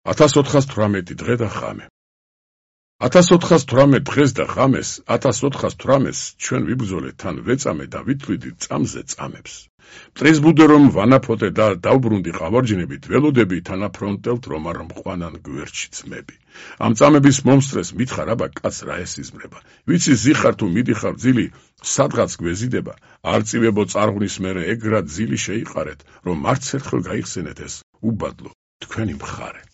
1418 დღე და ღამე. 1418 დღეს და ღამეს, 1418-ს ჩვენ ვიბრძოლეთ თან ვეწამე და ვითვლიდით წამზე წამებს. მტრიზბუდე რომ ვანაფოტე და დავბრუნდი ყავარჯინებით, ველოდები თანაფრონტელთ რომ არ მყვანან გვერდში ძმები. ამ წამების მომსწრეს მითხარ აბა კაც რა ესიზმრება. ვიცი ზიხარ თუ მიდიხარ ძილი, სადღაც გვეზიდება, არ წივებო წარღვნის მერე ეგრად ძილი შეიყარეთ, რომ არც ერთხელ გაიხსენეთ ეს უბადლო თქვენი მხარე.